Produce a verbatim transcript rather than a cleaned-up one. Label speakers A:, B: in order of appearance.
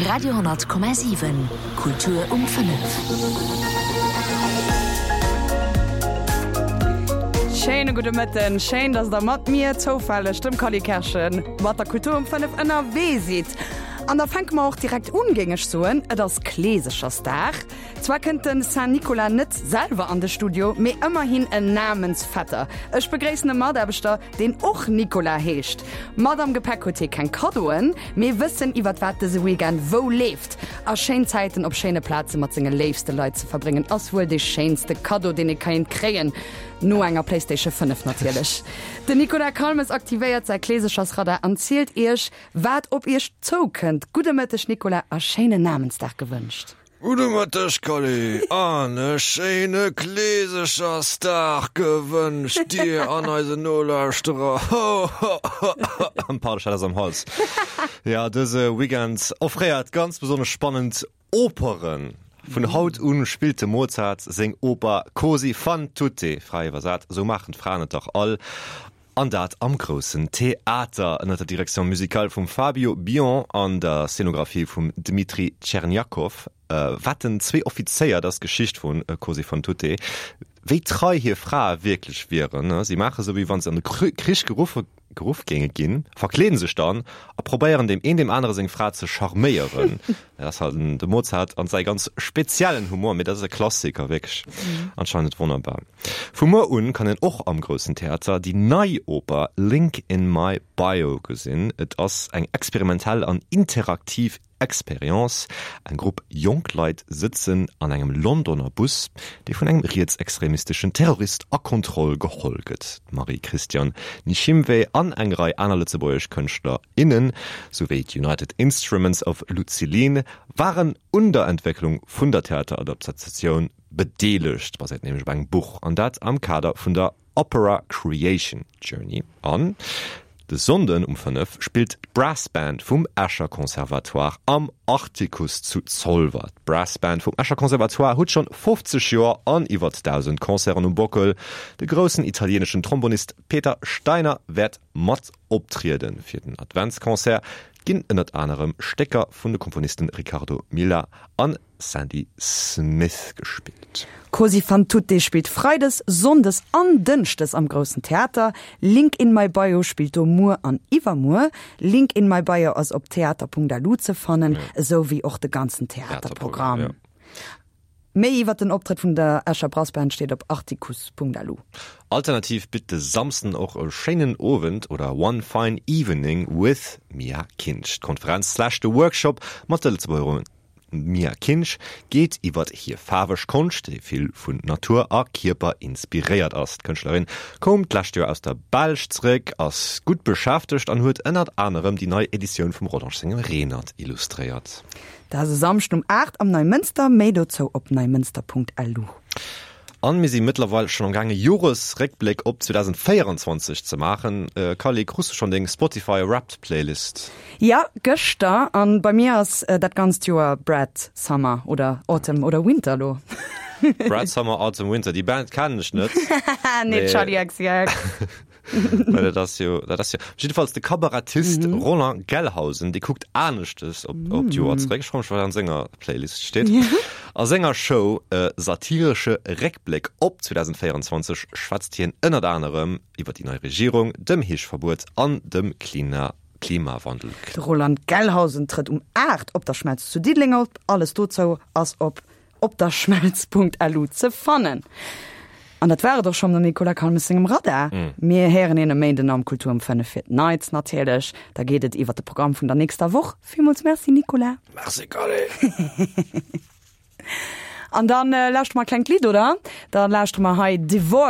A: Radio honnert Komma siwen, Kultur um fënnef.
B: Schéine gudde Mëtten, schéin, dass der mat mir zoufälleg, dem Cally Kerschen, mat der Kultur um fënnef ënnerwee sidd. An da fänke mer och direkt un, géing ech soen. Et ass Kleesechersdag. Zwar kënnt de Saint Nicolas net selwer an de Studio, mee ëmmerhin en Namensvetter. Ech begréissen e Mataarbechter, deen och Nicolas heescht. Mat am Gepäck huet hie keng Kaddoen, mee Wëssen iwwert wat dëse Weekend wou leeft. A schéin Zäiten op schéine Plaze mat senge léifste Leit ze verbréngen, ass wuel dee schéinste Kaddo, deen ee kéint kréien. No enger Playstation fënnef natierlech. Den Nicolas Calmes aktivéiert säi Kleesechersradar an zielt iech, wat op iech zoukënnt. Gudde Mëtteg Nicolas a schéinen Namensdag gewënscht.
C: Gudde Mëtteg Cally an e schéine Kleesechersdag gewënscht dir an eisen Nolauschterer. Ho ho ho ho. Pardon, ech hat eppes am Hals. Ja, dëse Weekend offréiert ganz besonnesch spannend Operen. Vun haut un spillt de Mozart seng Oper Così fan tutte, fräi iwwersat, Sou maachen d'Fraen et dach all, an dat am Groussen Theater ënner der Direction musicale vum Fabio Bion an der Scenographie vum Dmitri Tcherniakov. Wetten zwee Offizéier, dat ass d'Geschicht vu Così fan tutte, wéi trei hir Frae wierklech wieren. Si maache sou, wéi wa se an de Krich geruffe geruff géinge ginn, verkleeden sech dann a probéieren deem een deem anere seng Fra ze charméieren. Dat ass halt de Mozart an säi ganz speziellen Humor, mee dat ass e Klassiker, wierklech anscheinend wonnerbar. Vu muer un kann een och am Groussen Theater déi nei Oper Link in my bio gesinn. Et ass eng experimentell an interaktiv Experience, Eng Grupp jonk Leit sëtzen an engem Londoner Bus, dee vun engem rietsextremisteschen Terrorist a Kontroll geholl gëtt. D'Marie-Christiane Nishimwe an eng Rei aner lëtzebuergesch Kënschtler, innen, souwéi d'United Instruments of Lucilin waren un der Entwécklung vun der Theateradaptatioun bedeelegt, baséiert nämlech op engem Buch, an dat am Kader vun der Opera Creation Journey. An de Sonnden um fënnef spillt d'Brass Band vum Escher Conservatoire am Artikuss zu Zolwer. D'Brass Band vum Escher Conservatoire huet schonn fofzeg Joer an iwwert dausend Concerten um Bockel. De groussen italieneschen Trombonist Peter Steiner wäert mat optrieden. Fir den Adventsconcert ginn ënnert anerem Stécker vun de Komponisten Riccardo Milla an Sandy Smith gespillt.
B: Così fan tutte spillt freides, sonndes an dënschdes am Groussen Theater. Link in my bio spillt do muer an iwwermuer. Link in my bio ass op theater.lu ze fannen, esou wéi och de ganzen Theaterprogramm. Méi iwwer den Optrëtt vun der Escher Brassband steet op artikuss.lu.
C: Alternativ bitt de Samsden och e schéinen Owend oder One Fine Evening with Mia Kinsch. D'Konferenz slash de Workshop mat der Lëtzebuergerin Mia Kinsch geet iwwert hir faarweg Konscht, déi vill vun Natur a Kierper inspiréiert ass. D'Kënschtlerin koum d'lescht Joer aus der Belsch zeréck, ass gutt beschäftegt an huet ënnert anerem déi nei Editioun vum Rodange sengem Renert illustréiert.
B: Dat ass e Samschden um aacht am Neimënster. Méi dozou op neimënster.lu.
C: An mir si mëttlerweil schonn am gaange Joresréckbléck op zweedausendvéierenzwanzeg ze maachen. Carly, krus du schonn deng Spotify Wrapped Playlist?
B: Jo, gëschter. An bei mir ass dat ganzt Joer Brat Summer oder Autumn oder Winter lo.
C: Brat Summer, Autumn, Winter, déi Band kennen ech net.
B: Nee, Charli X C X.
C: Well dat ass jo, dat ass jo. Jiddefalls de Kabarettist mhm. Roland Gelhausen, dee kuckt aneschtes op, mm. op d'Joer zeréck. Ech froe mech, wat an senger Playlist steet. Ja. A senger Show äh, satiresche Réckbléck op zweedausendvéierenzwanzeg schwätzt hien ënnert anerem iwwer déi nei Regierung, dem Heeschverbuet an dem Klima Klimawandel.
B: De Roland Gelhausen trëtt um aacht op der Schmelz zu Diddeleng op. Alles dozou ass op opderschmelz Punkt L U ze fannen. An dat war et och schonn mam Nicolas Calmes sengem Radar. Mir héieren een e Méinden am Kultur um fënnef fir d'Neits natierlech. Da geet et iwwer de Programm vun der nächster Woch. Villmools Merci Nicolas.
C: Merci Carly.
B: An dann äh, lauschtere mer e klengt Lidd, oder? Dann lauschtere mer hei Divorce.